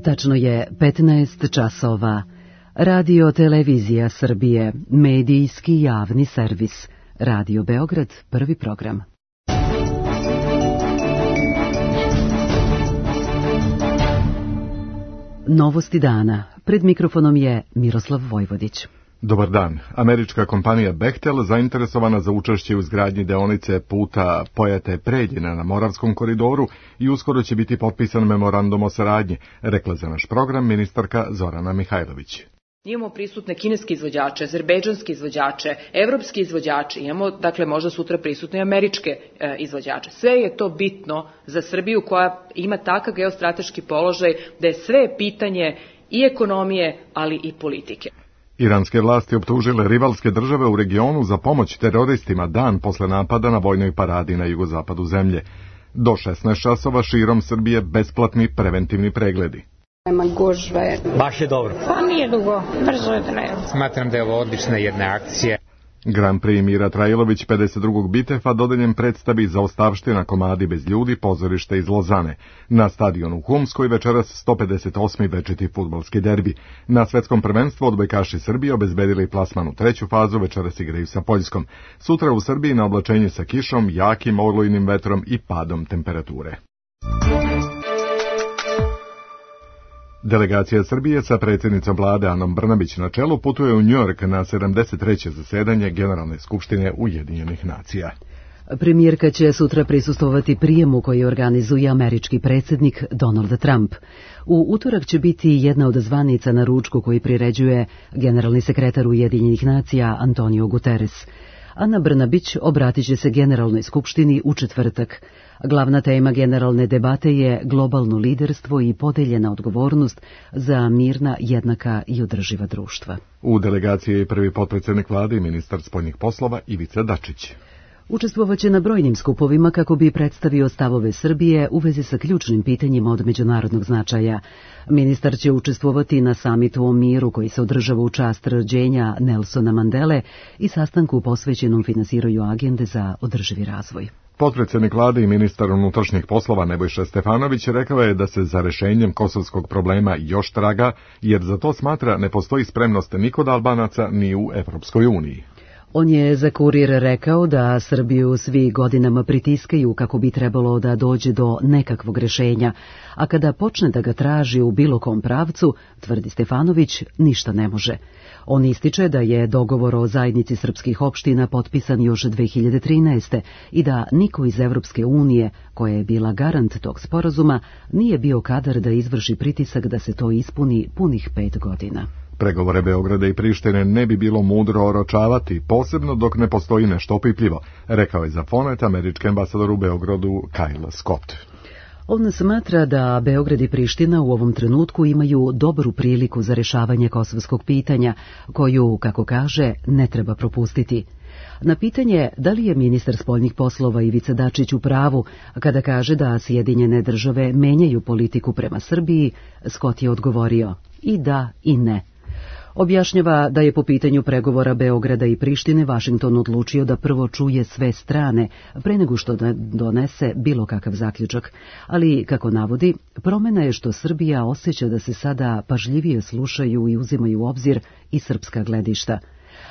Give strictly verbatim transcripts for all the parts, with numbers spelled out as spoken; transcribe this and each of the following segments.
Tačno je petnaest časova. Radio Televizija Srbije, medijski javni servis. Radio Beograd, prvi program. Novosti dana. Pred mikrofonom je Miroslav Vojvodić. Dobar dan. Američka kompanija Bechtel, zainteresovana za učešće u izgradnji deonice puta Pojate-Preljina na Moravskom koridoru, i uskoro će biti potpisan memorandum o saradnji, rekla za naš program ministarka Zorana Mihajlović. Imamo prisutne kineske izvođače, azerbejdžanske izvođače, evropske izvođače, imamo, dakle, možda sutra prisutne američke e, izvođače. Sve je to bitno za Srbiju koja ima takav geostrateški položaj da je sve pitanje i ekonomije, ali i politike. Iranske vlasti optužile rivalske države u regionu za pomoć teroristima dan posle napada na vojnoj paradi na jugozapadu zemlje. Do šesnaest časova širom Srbije besplatni preventivni pregledi. Nema gužve. Baš je dobro. Pa nije dugo, brzo je trajalo. Smatram da je ovo odlična jedna akcija. Grand Prix Mira Trajlović pedeset drugog Bitefa dodeljen predstavi Zaostavština komadi bez ljudi, pozorište iz Lozane. Na stadionu u Humskoj večeras sto pedeset osmi večiti fudbalski derbi. Na svetskom prvenstvu odbojkaši Srbije obezbedili plasman u treću fazu, večeras igraju sa Poljskom. Sutra u Srbiji na oblačenje sa kišom, jakim olujnim vetrom i padom temperature. Delegacija Srbije sa predsjednicom vlade Anom Brnabić na čelu putuje u Njujork na sedamdeset treće zasedanje Generalne skupštine Ujedinjenih nacija. Premijerka će sutra prisustvovati prijemu koji organizuje američki predsjednik Donald Trump. U utorak će biti jedna od zvanica na ručku koji priređuje generalni sekretar Ujedinjenih nacija Antonio Guterres. Ana Brnabić obratit će se Generalnoj skupštini u četvrtak. Glavna tema generalne debate je globalno liderstvo i podeljena odgovornost za mirna, jednaka i održiva društva. U delegaciji je prvi potpredsjednik vlade i ministar spoljnih poslova Ivica Dačić. Učestvovaće na brojnim skupovima kako bi predstavio stavove Srbije u vezi sa ključnim pitanjima od međunarodnog značaja. Ministar će učestvovati na samitu o miru koji se održava u čast rođenja Nelsona Mandele i sastanku posvećenom finansiranju agende za održivi razvoj. Potpredsjednik vlade i ministar unutrašnjih poslova Nebojša Stefanović rekao je da se za rešenjem kosovskog problema još traga, jer za to smatra ne postoji spremnost ni kod Albanaca ni u Evropskoj uniji. On je za Kurir rekao da Srbiju svi godinama pritiskaju kako bi trebalo da dođe do nekakvog rešenja, a kada počne da ga traži u bilo kom pravcu, tvrdi Stefanović, ništa ne može. On ističe da je dogovor o zajednici srpskih opština potpisan još dve hiljade trinaeste. i da niko iz Evropske unije, koja je bila garant tog sporazuma, nije bio kadar da izvrši pritisak da se to ispuni punih pet godina. Pregovore Beograda i Prištine ne bi bilo mudro oročavati, posebno dok ne postoji nešto opipljivo, rekao je za Fonet američki ambasador u Beogradu Kyle Scott. On smatra da Beograd i Priština u ovom trenutku imaju dobru priliku za rešavanje kosovskog pitanja, koju, kako kaže, ne treba propustiti. Na pitanje da li je ministar spoljnih poslova Ivica Dačić u pravu kada kaže da Sjedinjene države menjaju politiku prema Srbiji, Scott je odgovorio i da i ne. Objašnjava da je po pitanju pregovora Beograda i Prištine Vašington odlučio da prvo čuje sve strane pre nego što donese bilo kakav zaključak, ali, kako navodi, promena je što Srbija osjeća da se sada pažljivije slušaju i uzimaju u obzir i srpska gledišta.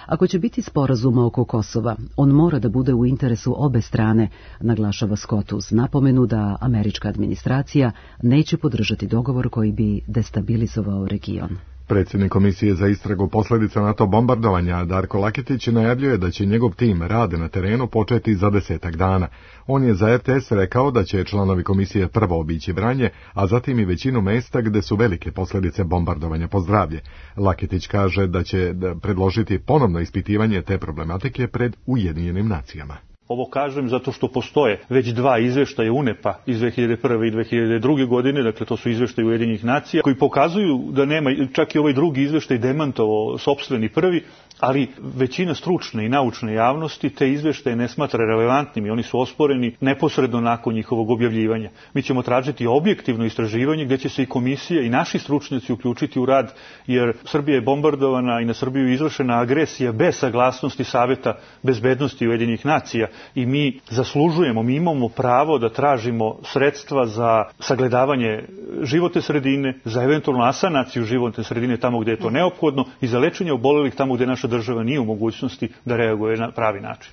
Ako će biti sporazuma oko Kosova, on mora da bude u interesu obe strane, naglašava Scott uz napomenu da američka administracija neće podržati dogovor koji bi destabilizovao region. Predsjednik Komisije za istragu posljedica NATO bombardovanja Darko Laketić najavljuje da će njegov tim rade na terenu početi za desetak dana. On je za R T S rekao da će članovi komisije prvo obići Vranje, a zatim i većinu mesta gde su velike posljedice bombardovanja po zdravlje. Laketić kaže da će predložiti ponovno ispitivanje te problematike pred Ujedinjenim nacijama. Ovo kažem zato što postoje već dva izveštaja U N E P-a iz dve hiljade prve i dve hiljade druge. godine, dakle to su izveštaji Ujedinjenih nacija, koji pokazuju da nema, čak i ovaj drugi izveštaj demantovao sopstveni prvi, ali većina stručne i naučne javnosti te izveštaje ne smatra relevantnim i oni su osporeni neposredno nakon njihovog objavljivanja. Mi ćemo tražiti objektivno istraživanje gdje će se i komisija i naši stručnjaci uključiti u rad, jer Srbija je bombardovana i na Srbiju je izvršena agresija bez saglasnosti Saveta bezbednosti Ujedinjenih nacija i mi zaslužujemo, mi imamo pravo da tražimo sredstva za sagledavanje životne sredine, za eventualnu asanaciju životne sredine tamo gdje je to neophodno i za lečenje obolelih tamo gdje naša država nije u mogućnosti da reaguje na pravi način.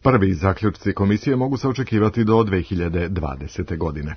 Prvi zaključci komisije mogu se očekivati do dve hiljade dvadesete. godine.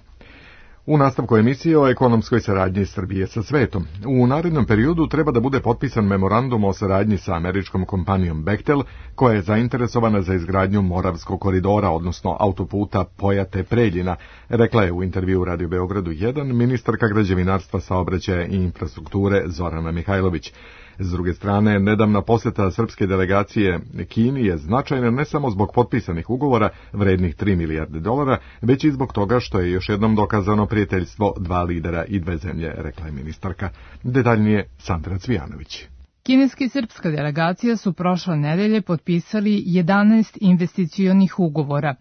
U nastavku emisije o ekonomskoj saradnji Srbije sa svetom. U narednom periodu treba da bude potpisan memorandum o saradnji sa američkom kompanijom Bechtel, koja je zainteresovana za izgradnju Moravskog koridora, odnosno autoputa Pojate-Preljina, rekla je u intervju Radio Beogradu jedan ministarka građevinarstva, saobraćaja i infrastrukture Zorana Mihajlović. S druge strane, nedavna posjeta srpske delegacije Kini je značajna ne samo zbog potpisanih ugovora vrednih tri milijarde dolara, već i zbog toga što je još jednom dokazano prijateljstvo dva lidera i dve zemlje, rekla je ministarka. Detaljnije Sandra Cvijanović. Kineska i srpska delegacija su prošle nedelje potpisali jedanaest investicionih ugovora.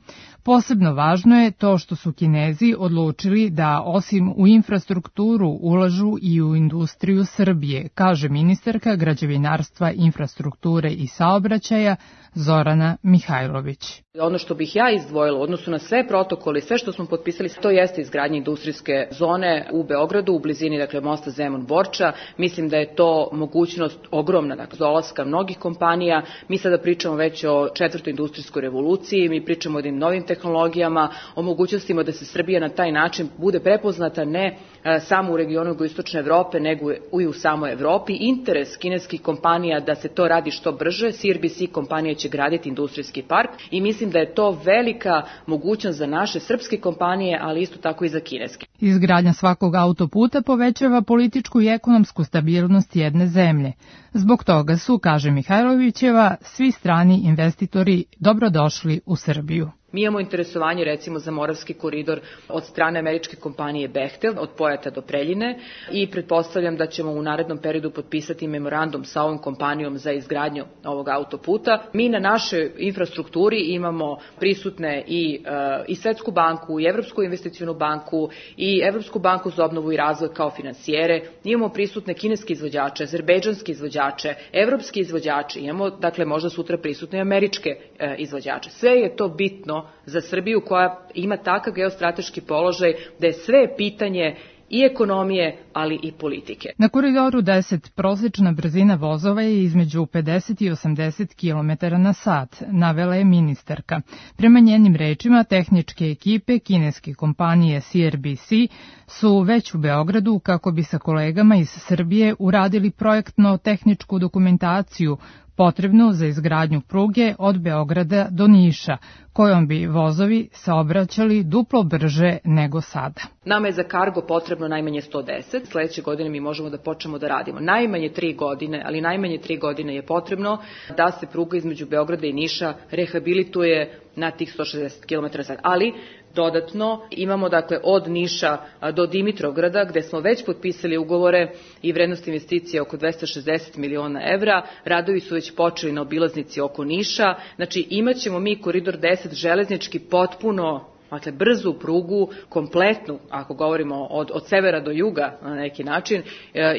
Posebno važno je to što su Kinezi odlučili da osim u infrastrukturu ulažu i u industriju Srbije, kaže ministarka građevinarstva, infrastrukture i saobraćaja Zorana Mihajlović. Ono što bih ja izdvojila u odnosu na sve protokole, sve što smo potpisali, to jeste izgradnja industrijske zone u Beogradu, u blizini dakle mosta Zemun-Borča. Mislim da je to mogućnost ogromna, dakle dolaska mnogih kompanija. Mi sada pričamo već o četvrtoj industrijskoj revoluciji, mi pričamo o jednim novim tehnologijama, o mogućnostima da se Srbija na taj način bude prepoznata ne samo u regionu jugoistočne Evrope, nego i u samoj Evropi. Interes kineskih kompanija da se to radi što brže, C R B C kompanija će graditi industrijski park i mislim da je to velika mogućnost za naše srpske kompanije, ali isto tako i za kineske. Izgradnja svakog autoputa povećava političku i ekonomsku stabilnost jedne zemlje. Zbog toga su, kaže Mihajlovićeva, svi strani investitori dobrodošli u Srbiju. Mi imamo interesovanje recimo za Moravski koridor od strane američke kompanije Bechtel, od Pojata do Preljine i pretpostavljam da ćemo u narednom periodu potpisati memorandum sa ovom kompanijom za izgradnju ovog autoputa. Mi na našoj infrastrukturi imamo prisutne i, uh, i Svetsku banku, i Evropsku investicionu banku, i Evropsku banku za obnovu i razvoj kao finansijere. Imamo prisutne kineske izvođače, azerbejdžanske izvođače, evropske izvođače, imamo dakle možda sutra prisutne i američke uh, izvođače. Sve je to bitno za Srbiju koja ima takav geostrateški položaj da je sve pitanje i ekonomije, ali i politike. Na koridoru deset prosječna brzina vozova je između pedeset i osamdeset kilometara na sat, navela je ministarka. Prema njenim rečima, tehničke ekipe kineske kompanije C R B C su već u Beogradu kako bi sa kolegama iz Srbije uradili projektno-tehničku dokumentaciju potrebnu za izgradnju pruge od Beograda do Niša, kojom bi vozovi saobraćali duplo brže nego sada. Nama je za kargo potrebno najmanje sto deset. Sljedeće godine mi možemo da počnemo da radimo. Najmanje tri godine, ali najmanje tri godine je potrebno da se pruga između Beograda i Niša rehabilituje na tih sto šezdeset kilometara na sat. Ali dodatno imamo dakle od Niša do Dimitrovgrada gde smo već potpisali ugovore i vrednost investicije oko dvesta šezdeset miliona evra. Radovi su već počeli na obilaznici oko Niša. Znači imat ćemo mi koridor deset železnički potpuno, dakle brzu prugu, kompletnu, ako govorimo od, od severa do juga na neki način,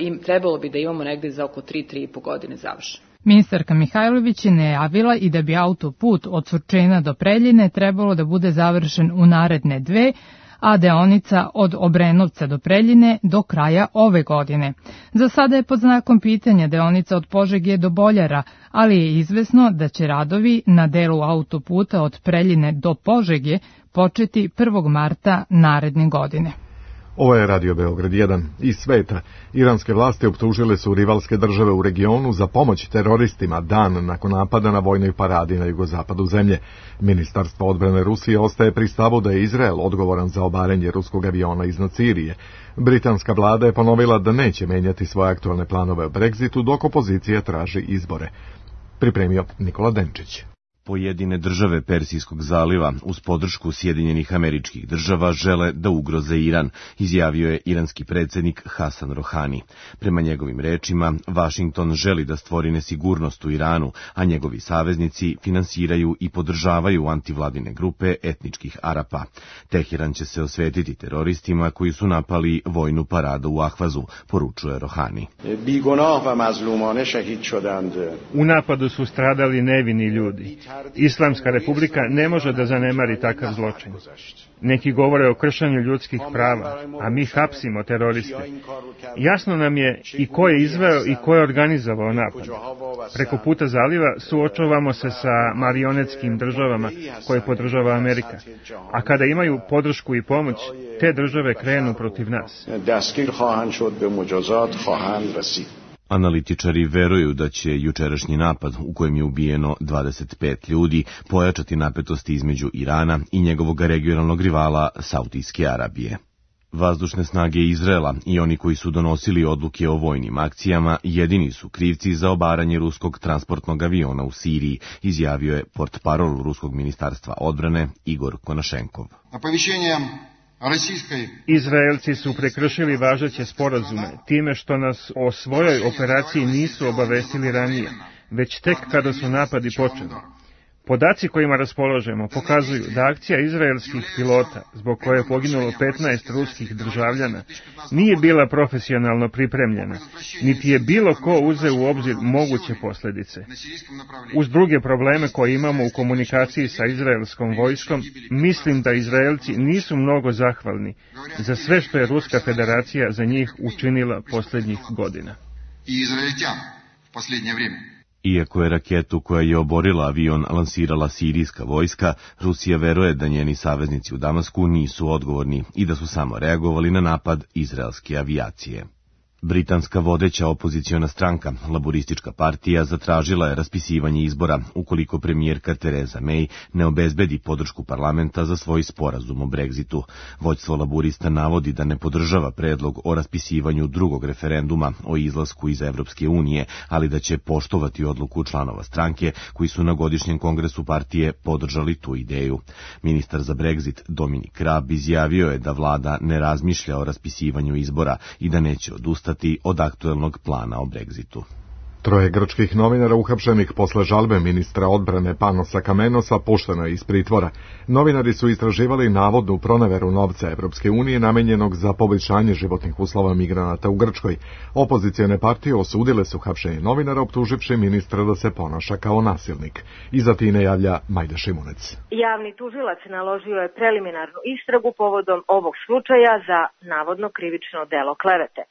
i trebalo bi da imamo negde za oko tri do tri i po godine završen. Ministarka Mihajlović je najavila i da bi autoput od Surčina do Preljine trebalo da bude završen u naredne dve, a deonica od Obrenovca do Preljine do kraja ove godine. Za sada je pod znakom pitanja deonica od Požege do Boljara, ali je izvesno da će radovi na delu autoputa od Preljine do Požege početi prvog marta naredne godine. Ovo je Radio Beograd jedan. Iz sveta, iranske vlasti optužile su rivalske države u regionu za pomoć teroristima dan nakon napada na vojnoj paradi na jugozapadu zemlje. Ministarstvo odbrane Rusije ostaje pri stavu da je Izrael odgovoran za obaranje ruskog aviona iznad Sirije. Britanska vlada je ponovila da neće menjati svoje aktualne planove o Brexitu dok opozicija traži izbore. Pripremio Nikola Denčić. Pojedine države Persijskog zaliva uz podršku Sjedinjenih Američkih Država žele da ugroze Iran, izjavio je iranski predsjednik Hasan Rohani. Prema njegovim rečima, Vašington želi da stvori nesigurnost u Iranu, a njegovi saveznici finansiraju i podržavaju antivladine grupe etničkih Arapa. Teheran će se osvetiti teroristima koji su napali vojnu paradu u Ahvazu, poručuje Rohani. U napadu su stradali nevini ljudi. Islamska republika ne može da zanemari takav zločin. Neki govore o kršenju ljudskih prava, a mi hapsimo teroriste. Jasno nam je i ko je izveo i ko je organizovao napad. Preko puta zaliva suočavamo se sa marionetskim državama koje podržava Amerika. A kada imaju podršku i pomoć, te države krenu protiv nas. Analitičari veruju da će jučerašnji napad, u kojem je ubijeno dvadeset pet ljudi, pojačati napetosti između Irana i njegovog regionalnog rivala Saudijske Arabije. Vazdušne snage Izraela i oni koji su donosili odluke o vojnim akcijama jedini su krivci za obaranje ruskog transportnog aviona u Siriji, izjavio je portparol Ruskog ministarstva odbrane Igor Konašenkov. Izraelci su prekršili važeće sporazume time što nas o svojoj operaciji nisu obavestili ranije, već tek kada su napadi počeli. Podaci kojima raspolažemo pokazuju da akcija izraelskih pilota, zbog koje je poginulo petnaest ruskih državljana, nije bila profesionalno pripremljena, niti je bilo ko uzeo u obzir moguće posljedice. Uz druge probleme koje imamo u komunikaciji sa izraelskom vojskom, mislim da Izraelci nisu mnogo zahvalni za sve što je Ruska federacija za njih učinila posljednjih godina. Iako je raketu koja je oborila avion lansirala sirijska vojska, Rusija veruje da njeni saveznici u Damasku nisu odgovorni i da su samo reagovali na napad izraelske avijacije. Britanska vodeća opoziciona stranka, Laboristička partija, zatražila je raspisivanje izbora ukoliko premijerka Theresa May ne obezbedi podršku parlamenta za svoj sporazum o Brexitu. Vođstvo laborista navodi da ne podržava predlog o raspisivanju drugog referenduma o izlasku iz Evropske unije, ali da će poštovati odluku članova stranke koji su na godišnjem kongresu partije podržali tu ideju. Ministar za Brexit Dominic Raab izjavio je da vlada ne razmišlja o raspisivanju izbora i da neće odustati od aktuelnog plana o Brexitu. Troje grčkih novinara uhapšenih posle žalbe ministra odbrane Panosa Kamenosa pušteno je iz pritvora. Novinari su istraživali navodnu proneveru novca Evropske unije namenjenog za poboljšanje životnih uslova migranata u Grčkoj. Opozicione partije osudile su hapšenje novinara optuživši ministra da se ponaša kao nasilnik. Iza Tine javlja Majda Šimunec. Javni tužilac naložio je preliminarnu istragu povodom ovog slučaja za navodno krivično delo klevete.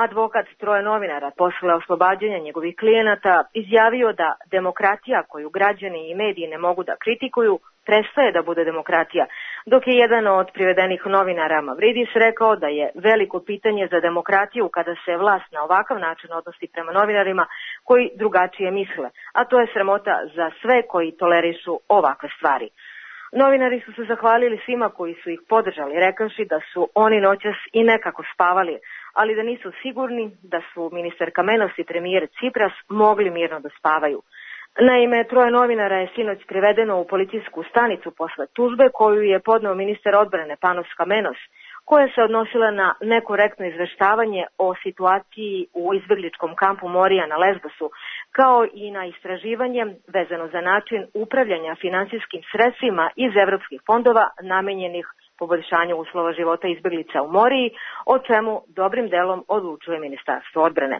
Advokat troje novinara posle oslobađanja njegovih klijenata izjavio da demokratija koju građani i mediji ne mogu da kritikuju prestaje da bude demokratija, dok je jedan od privedenih novinara Mavridis rekao da je veliko pitanje za demokratiju kada se vlast na ovakav način odnosi prema novinarima koji drugačije misle, a to je sramota za sve koji tolerišu ovakve stvari. Novinari su se zahvalili svima koji su ih podržali, rekavši da su oni noćas i nekako spavali, ali da nisu sigurni da su ministar Kamenos i premijer Cipras mogli mirno da spavaju. Naime, troje novinara je sinoć privedeno u policijsku stanicu posle tužbe koju je podneo ministar odbrane Panos Kamenos, koja se odnosila na nekorektno izveštavanje o situaciji u izbegličkom kampu Morija na Lesbosu, kao i na istraživanje vezano za način upravljanja finansijskim sredstvima iz evropskih fondova namenjenih poboljšanju uslova života izbeglica u Moriji, o čemu dobrim delom odlučuje Ministarstvo odbrane.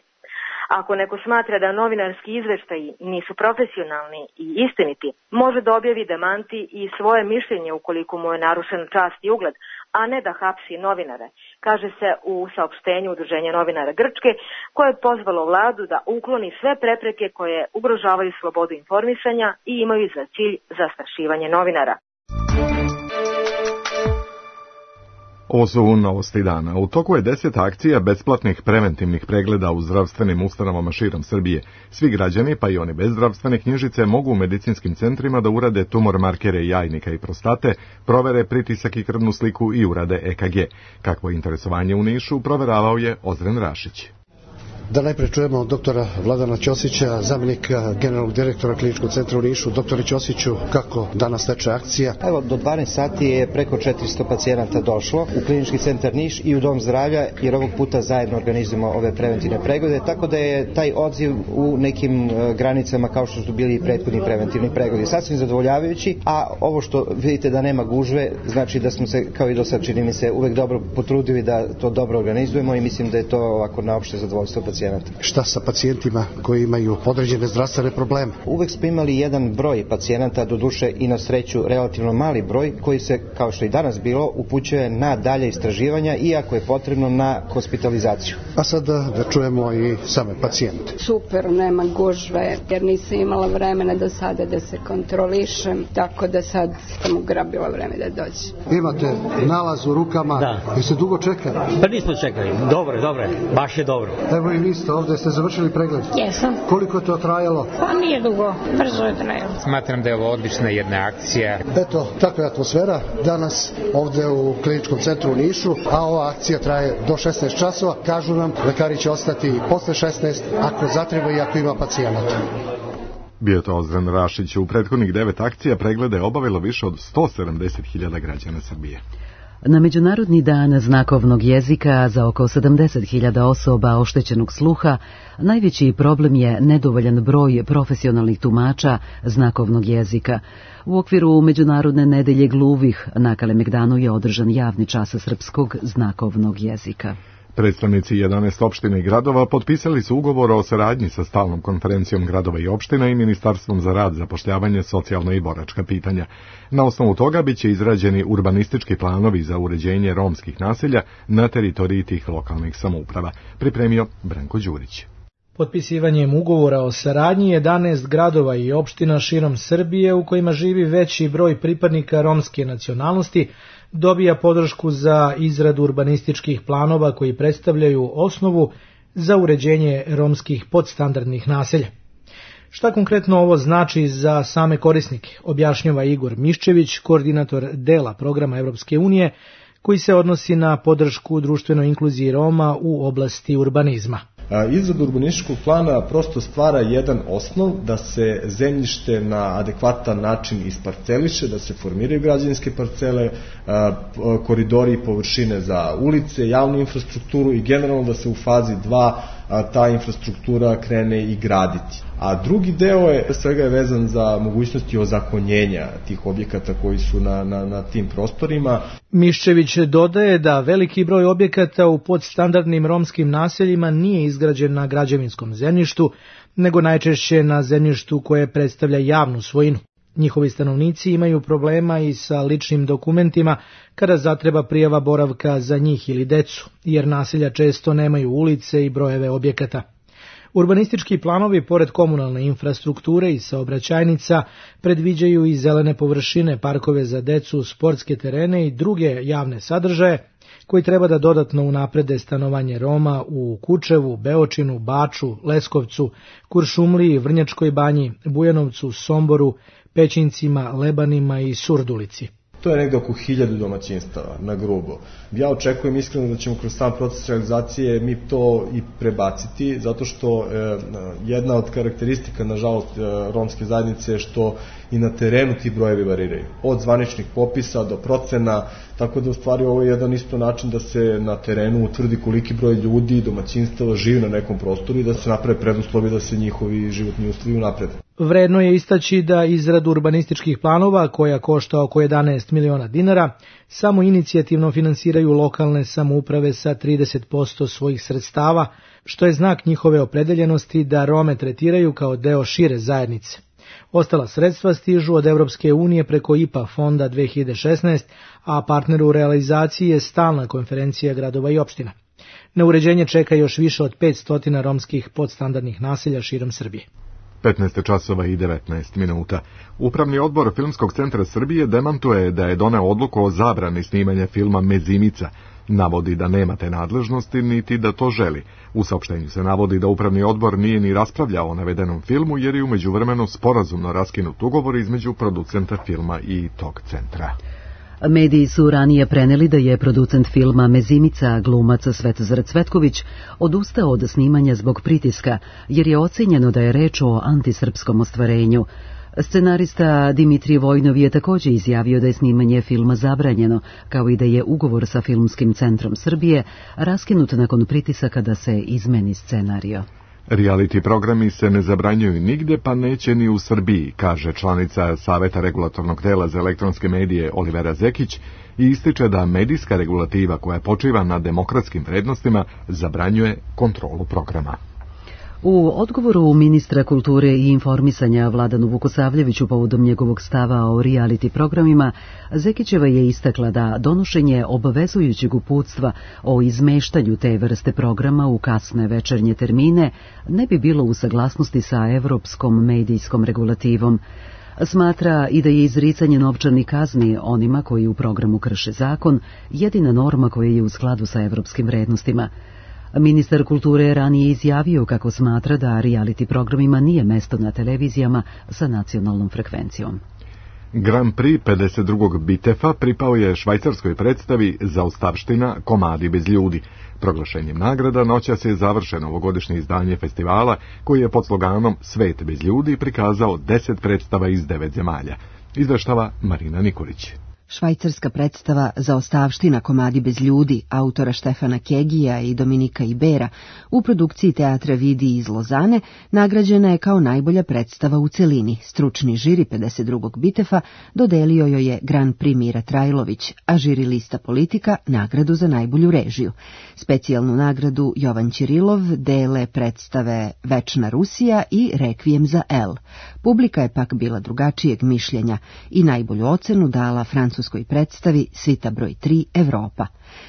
Ako neko smatra da novinarski izveštaji nisu profesionalni i istiniti, može da objavi demanti i svoje mišljenje ukoliko mu je narušen čast i ugled, a ne da hapsi novinare, kaže se u saopštenju Udruženja novinara Grčke, koje je pozvalo vladu da ukloni sve prepreke koje ugrožavaju slobodu informisanja i imaju za cilj zastrašivanje novinara. Ovo su novosti dana. U toku je deset akcija besplatnih preventivnih pregleda u zdravstvenim ustanovama širom Srbije. Svi građani, pa i oni bez zdravstvene knjižice, mogu u medicinskim centrima da urade tumor markere jajnika i prostate, provere pritisak i krvnu sliku i urade E K G. Kakvo interesovanje u Nišu proveravao je Ozren Rašić. Da najpre čujemo doktora Vladana Ćosića, zamjenika generalnog direktora Kliničkog centra u Nišu. Doktore Ćosiću, kako danas teče akcija? Evo, do dvanaest sati je preko četiristo pacijenata došlo u Klinički centar Niš i u Dom zdravlja, jer ovog puta zajedno organizujemo ove preventivne preglede, tako da je taj odziv u nekim granicama kao što su bili i prethodni preventivni pregledi sasvim zadovoljavajući, a ovo što vidite da nema gužve, znači da smo se, kao i do sad čini mi se, uvek dobro potrudili da to dobro organizujemo i mislim da je to ovako na opšte zadovoljstvo pacijenata. Šta sa pacijentima koji imaju određene zdravstvene probleme? Uvek smo imali jedan broj pacijenata, doduše i na sreću relativno mali broj, koji se, kao što i danas bilo, upućuje na dalje istraživanja i ako je potrebno na hospitalizaciju. A sada da čujemo i same pacijente. Super, nema gužve, jer nisam imala vremena do sada da se kontrolišem, tako da sad sam ugrabila vreme da dođe. Imate nalaz u rukama, da. Jeste dugo čekali? Pa nismo čekali, dobro, dobro, baš je dobro. Evo i vi ste ovdje, ste završili pregled? Jesam. Koliko je to trajalo? Pa nije dugo, brzo je trajalo. Smatram da je ovo odlična jedna akcija. Eto, takva je atmosfera danas ovdje u Kliničkom centru u Nišu, a ova akcija traje do šesnaest časova. Kažu nam, lekari će ostati posle šesnaest ako zatreba i ako ima pacijenata. Bio to Ozren Rašić. U prethodnih devet akcija preglede je obavilo više od sto sedamdeset hiljada građana Srbije. Na Međunarodni dan znakovnog jezika za oko sedamdeset hiljada osoba oštećenog sluha najveći problem je nedovoljan broj profesionalnih tumača znakovnog jezika. U okviru Međunarodne nedelje gluvih na Kalemegdanu je održan javni čas srpskog znakovnog jezika. Predstavnici jedanaest opština i gradova potpisali su ugovor o saradnji sa stalnom konferencijom gradova i opština i Ministarstvom za rad, zapošljavanje, socijalna i boračka pitanja. Na osnovu toga biće izrađeni urbanistički planovi za uređenje romskih naselja na teritoriji tih lokalnih samouprava. Pripremio Branko Đurić. Potpisivanjem ugovora o saradnji jedanaest gradova i opština širom Srbije u kojima živi veći broj pripadnika romske nacionalnosti dobija podršku za izradu urbanističkih planova koji predstavljaju osnovu za uređenje romskih podstandardnih naselja. Šta konkretno ovo znači za same korisnike, objašnjava Igor Miščević, koordinator dela programa Evropske unije, koji se odnosi na podršku društvenoj inkluziji Roma u oblasti urbanizma. Izrada urbanističkog plana prosto stvara jedan osnov da se zemljište na adekvatan način isparceliše, da se formiraju građevinske parcele, koridori i površine za ulice, javnu infrastrukturu i generalno da se u fazi dva ta infrastruktura krene i graditi. A drugi deo je, svega je vezan za mogućnosti ozakonjenja tih objekata koji su na, na, na tim prostorima. Miščević dodaje da veliki broj objekata u podstandardnim romskim naseljima nije izgrađen na građevinskom zemljištu, nego najčešće na zemljištu koje predstavlja javnu svojinu. Njihovi stanovnici imaju problema i sa ličnim dokumentima kada zatreba prijava boravka za njih ili decu, jer naselja često nemaju ulice i brojeve objekata. Urbanistički planovi, pored komunalne infrastrukture i saobraćajnica, predviđaju i zelene površine, parkove za decu, sportske terene i druge javne sadržaje, koji treba da dodatno unaprede stanovanje Roma u Kučevu, Beočinu, Baču, Leskovcu, Kuršumliji, Vrnjačkoj banji, Bujanovcu, Somboru, Pećincima, Lebanima i Surdulici. To je negde oko hiljadu domaćinstava, na grubo. Ja očekujem iskreno da ćemo kroz sam proces realizacije mi to i prebaciti, zato što e, jedna od karakteristika, nažalost, e, romske zajednice je što i na terenu ti brojevi variraju. Od zvaničnih popisa do procena, tako da u stvari ovo je jedan isto način da se na terenu utvrdi koliki broj ljudi i domaćinstava živi na nekom prostoru i da se naprave preduslovi da se njihovi životni uslovi unaprede. Vredno je istaći da izradu urbanističkih planova, koja košta oko jedanaest miliona dinara, samo inicijativno finansiraju lokalne samouprave sa trideset posto svojih sredstava, što je znak njihove opredeljenosti da Rome tretiraju kao deo šire zajednice. Ostala sredstva stižu od Evropske unije preko I P A fonda dve hiljade šesnaest, a partner u realizaciji je stalna konferencija gradova i opština. Na uređenje čeka još više od petsto romskih podstandardnih naselja širom Srbije. petnaest časova i devetnaest minuta. Upravni odbor Filmskog centra Srbije demantuje da je doneo odluku o zabrani snimanja filma Mezimica. Navodi da nema te nadležnosti, niti da to želi. U saopštenju se navodi da upravni odbor nije ni raspravljao o navedenom filmu, jer je u međuvremenu sporazumno raskinut ugovor između producenta filma i tog centra. Mediji su ranije preneli da je producent filma Mezimica, glumac Svetozar Cvetković, odustao od snimanja zbog pritiska, jer je ocenjeno da je reč o antisrpskom ostvarenju. Scenarista Dimitrij Vojnov je također izjavio da je snimanje filma zabranjeno, kao i da je ugovor sa Filmskim centrom Srbije raskinut nakon pritisaka da se izmeni scenario. Reality programi se ne zabranjuju nigde, pa neće ni u Srbiji, kaže članica Saveta regulatornog tela za elektronske medije Olivera Zekić i ističe da medijska regulativa koja počiva na demokratskim vrednostima zabranjuje kontrolu programa. U odgovoru ministra kulture i informisanja Vladanu Vukosavljeviću povodom njegovog stava o reality programima, Zekićeva je istakla da donošenje obavezujućeg uputstva o izmeštanju te vrste programa u kasne večernje termine ne bi bilo u saglasnosti sa evropskom medijskom regulativom. Smatra i da je izricanje novčanih kazni onima koji u programu krše zakon jedina norma koja je u skladu sa evropskim vrednostima. Ministar kulture je ranije izjavio kako smatra da reality programima nije mesto na televizijama sa nacionalnom frekvencijom. Grand Prix pedeset drugog Bitefa pripao je švajcarskoj predstavi Zaostavština, komadi bez ljudi. Proglašenjem nagrada noćas je završeno ovogodišnje izdanje festivala koji je pod sloganom Svet bez ljudi prikazao deset predstava iz devet zemalja. Izveštava Marina Nikolić. Švajcarska predstava Zaostavština, komadi bez ljudi, autora Štefana Kegija i Dominika Ibera, u produkciji Teatra Vidi iz Lozane, nagrađena je kao najbolja predstava u celini. Stručni žiri pedeset drugog Bitefa dodelio joj je Grand Prix Mira Trajlović, a žiri lista Politika nagradu za najbolju režiju. Specijalnu nagradu Jovan Ćirilov dele predstave Večna Rusija i Rekvijem za El. Publika je pak bila drugačijeg mišljenja i najbolju ocenu dala francuskoj predstavi Svita broj tri Evropa.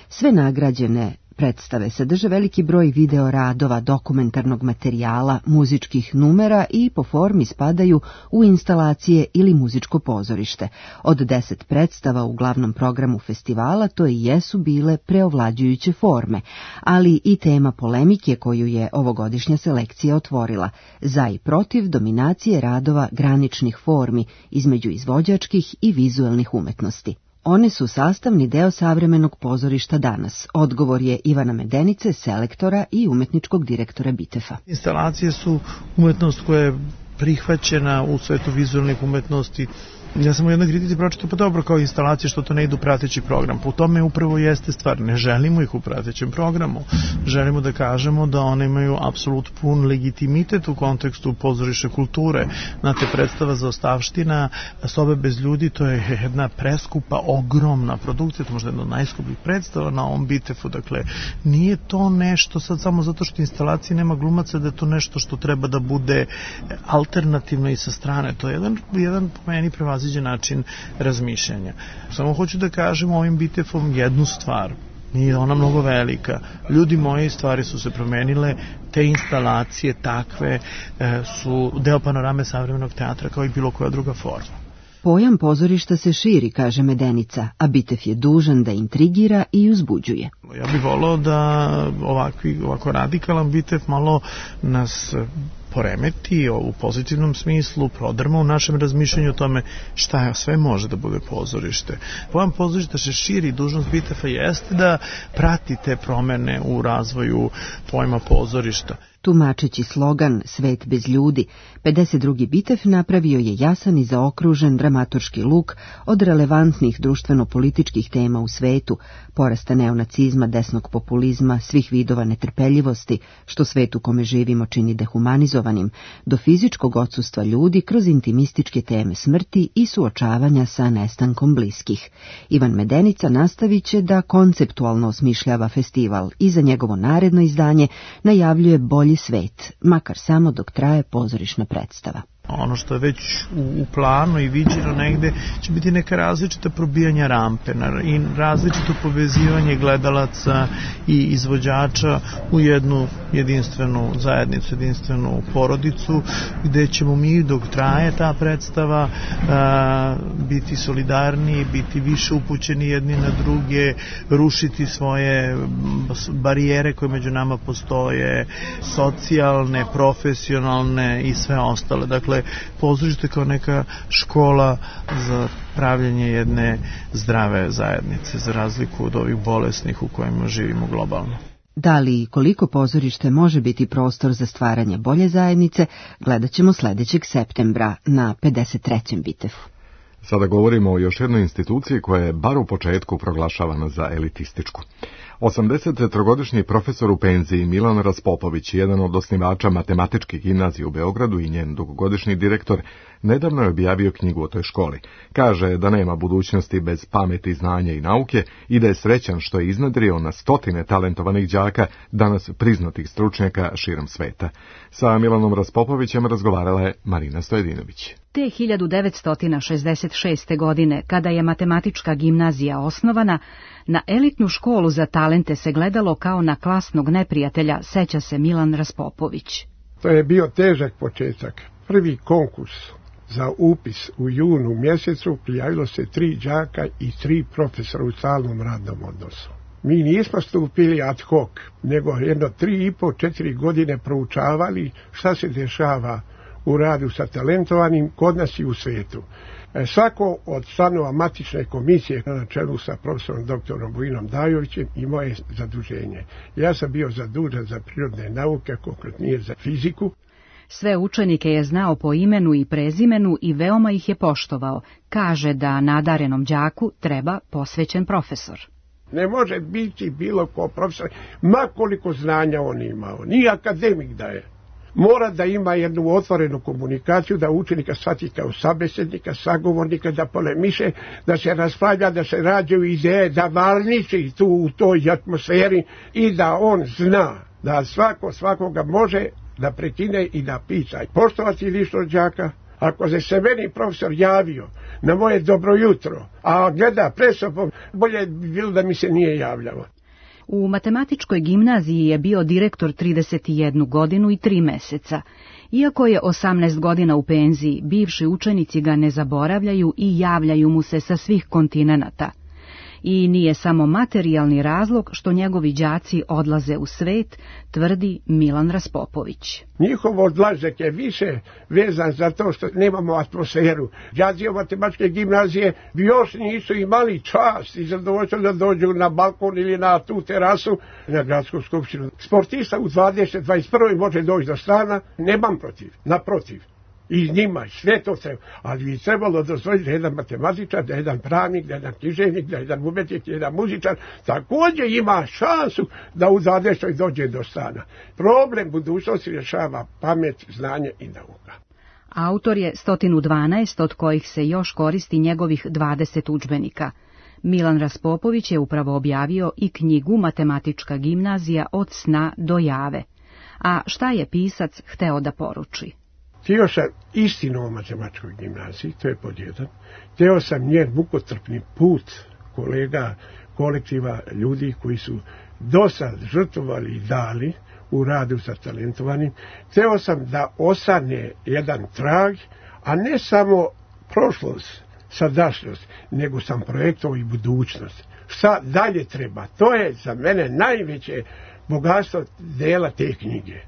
Sve nagrađene predstave sadrže veliki broj video radova, dokumentarnog materijala, muzičkih numera i po formi spadaju u instalacije ili muzičko pozorište. Od deset predstava u glavnom programu festivala to i jesu bile preovlađujuće forme, ali i tema polemike koju je ovogodišnja selekcija otvorila, za i protiv dominacije radova graničnih formi između izvođačkih i vizuelnih umetnosti. One su sastavni deo savremenog pozorišta danas. Odgovor je Ivana Medenice, selektora i umetničkog direktora Bitefa. Instalacije su umetnost koja je prihvaćena u svetu vizualnih umetnosti. Ja sam u jednoj kritici pročitao, pa dobro, kao instalacije što to ne idu prateći program. Po tome upravo jeste stvar. Ne želimo ih u pratećem programu. Želimo da kažemo da one imaju apsolut pun legitimitet u kontekstu pozorišne kulture. Znate, predstava Zaostavština, Sobe bez ljudi, to je jedna preskupa, ogromna produkcija, to možda jedna od najskupljih predstava na ovom Bitefu. Dakle, nije to nešto sad samo zato što instalacije nema glumaca, da je to nešto što treba da bude alternativno i sa strane. To je jedan, jedan po meni prevaziđen način razmišljanja. Samo hoću da kažem ovim Bitefom jednu stvar. Nije ona mnogo velika. Ljudi moji, stvari su se promenile, te instalacije takve e, su deo panorame savremenog teatra kao i bilo koja druga forma. Pojam pozorišta se širi, kaže Medenica, a Bitef je dužan da intrigira i uzbuđuje. Ja bih volao da ovakvi, ovako radikalan Bitef malo nas poremeti u pozitivnom smislu, prodrma u našem razmišljanju o tome šta sve može da bude pozorište. Pojam pozorišta se širi, dužnost Bitefa jeste da prati te promene u razvoju pojma pozorišta. Tumačeći slogan Svet bez ljudi, pedeset drugi Bitef napravio je jasan i zaokružen dramaturški luk od relevantnih društveno-političkih tema u svetu, porasta neonacizma, desnog populizma, svih vidova netrpeljivosti, što svet u kome živimo čini dehumanizovanim, do fizičkog odsustva ljudi kroz intimističke teme smrti i suočavanja sa nestankom bliskih. Ivan Medenica nastavit će da konceptualno osmišljava festival i za njegovo naredno izdanje najavljuje bolji svet, makar samo dok traje pozorišna predstava. Ono što je već u, u planu i viđeno negde će biti neka različita probijanja rampe i različito povezivanje gledalaca i izvođača u jednu jedinstvenu zajednicu, jedinstvenu porodicu, gde ćemo mi dok traje ta predstava a, biti solidarni, biti više upućeni jedni na druge, rušiti svoje barijere koje među nama postoje, socijalne, profesionalne i sve ostale. Dakle, Dakle, pozorište kao neka škola za pravljenje jedne zdrave zajednice, za razliku od ovih bolesnih u kojima živimo globalno. Da li i koliko pozorište može biti prostor za stvaranje bolje zajednice, gledat ćemo sledećeg septembra na pedeset trećem Bitefu. Sada govorimo o još jednoj instituciji koja je bar u početku proglašavana za elitističku. osamdesettrogodišnji profesor u penziji Milan Raspopović, jedan od osnivača matematičke gimnazije u Beogradu i njen dugogodišnji direktor, nedavno je objavio knjigu o toj školi. Kaže da nema budućnosti bez pameti, znanja i nauke i da je srećan što je iznedrio na stotine talentovanih đaka, danas priznatih stručnjaka širom sveta. Sa Milanom Raspopovićem razgovarala je Marina Stojedinović. Te hiljadu devetsto šezdeset šeste. godine, kada je matematička gimnazija osnovana, na elitnu školu za talente se gledalo kao na klasnog neprijatelja, seća se Milan Raspopović. To je bio težak početak. Prvi konkurs za upis u junu mjesecu prijavilo se tri đaka i tri profesora u stalnom radnom odnosu. Mi nismo stupili ad hoc, nego jedno tri i po, četiri godine proučavali šta se dešava u radu sa talentovanim kod nas i u svijetu. E, svako od članova matične komisije na čelu sa profesorom doktorom Vujinom Dajovićem imao je zaduženje. Ja sam bio zadužen za prirodne nauke, konkretnije za fiziku. Sve učenike je znao po imenu i prezimenu i veoma ih je poštovao. Kaže da nadarenom đaku treba posvećen profesor. Ne može biti bilo ko profesor, ma koliko znanja on imao, ni akademik da je. Mora da ima jednu otvorenu komunikaciju, da učenika shvati kao sabesednika, sagovornika, da polemiše, da se raspravlja, da se rađaju ideje, da varniči tu u toj atmosferi i da on zna da svako svakoga može da prekine i da pita. Poštovati lično đaka, ako se se meni profesor javio na moje dobro jutro, a gleda pred sobom, bolje bi bilo da mi se nije javljao. U matematičkoj gimnaziji je bio direktor trideset jednu godinu i tri meseca. Iako je osamnaest godina u penziji, bivši učenici ga ne zaboravljaju i javljaju mu se sa svih kontinenata. I nije samo materijalni razlog što njegovi đaci odlaze u svet, tvrdi Milan Raspopović. Njihov odlazak je više vezan za to što nemamo atmosferu. Đaci matematičke gimnazije još nisu imali čast i zadovoljstvo da dođu na balkon ili na tu terasu na gradsku skupštinu. Sportista u dvadeset dvadeset prve može doći do stana, nemam protiv, naprotiv. I njima sve to treba, ali bi trebalo dozvoliti da jedan matematičar, da jedan pravnik, da jedan književnik, da jedan umetnik, da jedan muzičar također ima šansu da u dvadesetoj dođe do stana. Problem budućnosti rješava pamet, znanje i nauka. Autor je sto dvanaest, od kojih se još koristi njegovih dvadeset udžbenika. Milan Raspopović je upravo objavio i knjigu Matematička gimnazija od sna do jave. A šta je pisac hteo da poruči? Htio sam istinu o matematičkoj gimnaziji, to je pod jedan. Htio sam njen mukotrpni put kolega, kolektiva ljudi koji su dosad žrtvovali i dali u radu sa talentovanim. Htio sam da ostane jedan trag, a ne samo prošlost, sadašnjost, nego sam projektovao i budućnost. Šta dalje treba? To je za mene najveće bogatstvo dela te knjige.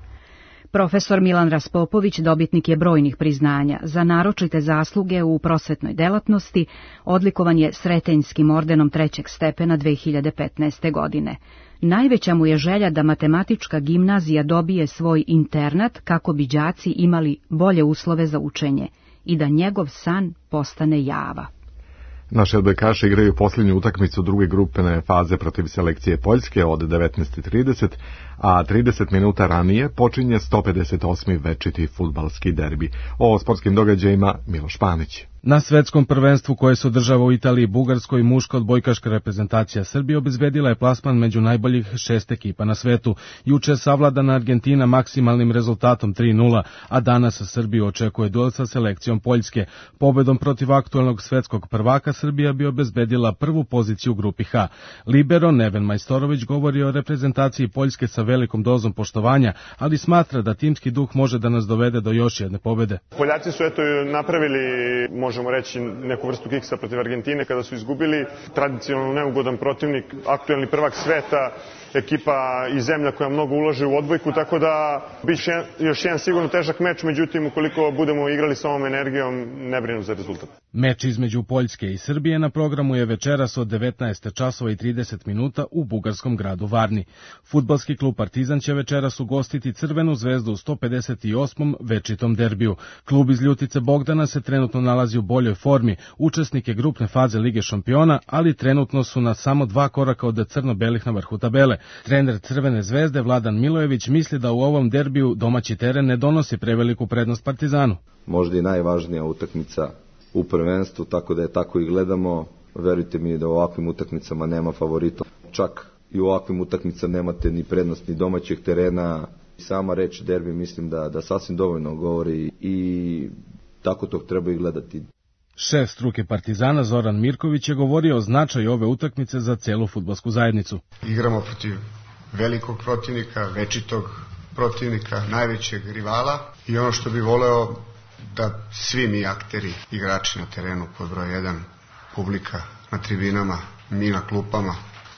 Profesor Milan Raspopović dobitnik je brojnih priznanja. Za naročite zasluge u prosvetnoj delatnosti odlikovan je Sretenjskim ordenom trećeg stepena dve hiljade petnaeste. godine. Najveća mu je želja da matematička gimnazija dobije svoj internat kako bi đaci imali bolje uslove za učenje i da njegov san postane java. Naši odbojkaši igraju posljednju utakmicu druge grupene faze protiv selekcije Poljske od devetnaest i trideset, a trideset minuta ranije počinje sto pedeset osmi večiti fudbalski derbi. O sportskim događajima Miloš Panić. Na svetskom prvenstvu koje se održava u Italiji, Bugarskoj, muška odbojkaška reprezentacija Srbije obezbedila je plasman među najboljih šest ekipa na svetu. Juče savladana Argentina maksimalnim rezultatom tri nula, a danas Srbiju očekuje duel sa selekcijom Poljske. Pobedom protiv aktualnog svetskog prvaka Srbija bi obezbedila prvu poziciju u grupi H. Libero Neven Majstorović govori o reprezentaciji Poljske sa velikom dozom poštovanja, ali smatra da timski duh može da nas dovede do još jedne pobede. Poljaci su eto napravili, možemo reći, neku vrstu kiksa protiv Argentine kada su izgubili. Tradicionalno neugodan protivnik, aktuelni prvak sveta ekipa i zemlja koja mnogo ulaže u odbojku, tako da biće još jedan sigurno težak meč, međutim ukoliko budemo igrali sa ovom energijom, ne brinu za rezultat. Meč između Poljske i Srbije na programu je večeras od devetnaest časova i trideset minuta u bugarskom gradu Varni. Fudbalski klub Partizan će večeras ugostiti Crvenu zvezdu u sto pedeset osmom večitom derbiju. Klub iz Ljutice Bogdana se trenutno nalazi u boljoj formi, učesnik je grupne faze Lige šampiona, ali trenutno su na samo dva koraka od crno-belih na vrhu tabele. Trener Crvene zvezde Vladan Milojević misli da u ovom derbiju domaći teren ne donosi preveliku prednost Partizanu. Možda i najvažnija utakmica u prvenstvu, tako da je tako i gledamo. Verujte mi da u ovakvim utakmicama nema favorita. Čak i u ovakvim utakmicama nemate ni prednost ni domaćeg terena. Sama reč derbi mislim da, da sasvim dovoljno govori i tako to treba i gledati. Šef struke Partizana Zoran Mirković je govorio o značaju ove utakmice za celu fudbalsku zajednicu. Igramo protiv velikog protivnika, večitog protivnika, najvećeg rivala i ono što bi voleo da svi mi akteri, igrači na terenu pod broj jedan, publika na tribinama, mi na klupama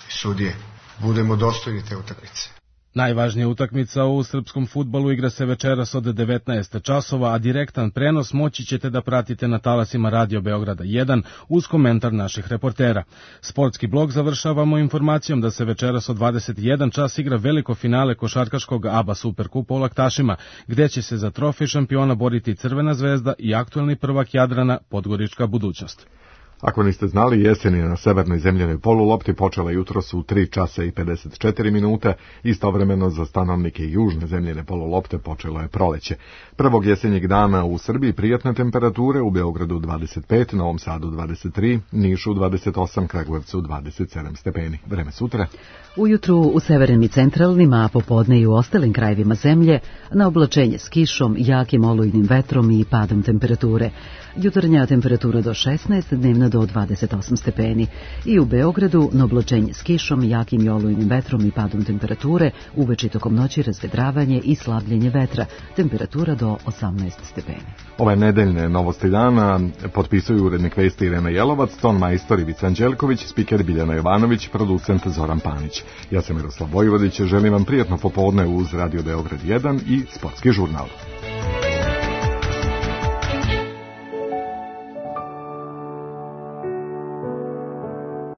i sudije, budemo dostojni te utakmice. Najvažnija utakmica u srpskom fudbalu igra se večeras od devetnaest časova, a direktan prenos moći ćete da pratite na talasima Radio Beograda jedan uz komentar naših reportera. Sportski blog završavamo informacijom da se večeras od dvadeset jedan čas igra veliko finale košarkaškog A B A Superkupa u Laktašima, gde će se za trofej šampiona boriti Crvena zvezda i aktuelni prvak Jadrana Podgorička budućnost. Ako niste znali, jesen je na severnoj zemljanoj polulopti počela jutros u tri časa i pedeset četiri minute, istovremeno za stanovnike južne zemljane polulopte počelo je proleće. Prvog jesenjeg dana u Srbiji prijatne temperature, u Beogradu dvadeset pet, Novom Sadu dvadeset tri, Nišu dvadeset osam, Kragujevcu dvadeset sedam stepeni. Vreme sutra. Ujutru u severnim i centralnim, a popodne i u ostalim krajevima zemlje, na oblačenje s kišom, jakim olujnim vetrom i padom temperature. Jutarnja temperatura do šesnaest, dnevna do dvadeset osam stepeni. I u Beogradu na oblačenje s kišom, jakim i olujnim vetrom i padom temperature, uveče tokom noći razvedravanje i slabljenje vetra, temperatura do osamnaest stepeni. Ove nedeljne novosti dana potpisuju urednik vesti Irena Jelovac, ton majstor Ivica Anđelković, spiker Biljana Jovanović, producent Zoran Panić. Ja sam Miroslav Vojvodić, želim vam prijatno popodne uz Radio Beograd jedan i Sportski žurnal.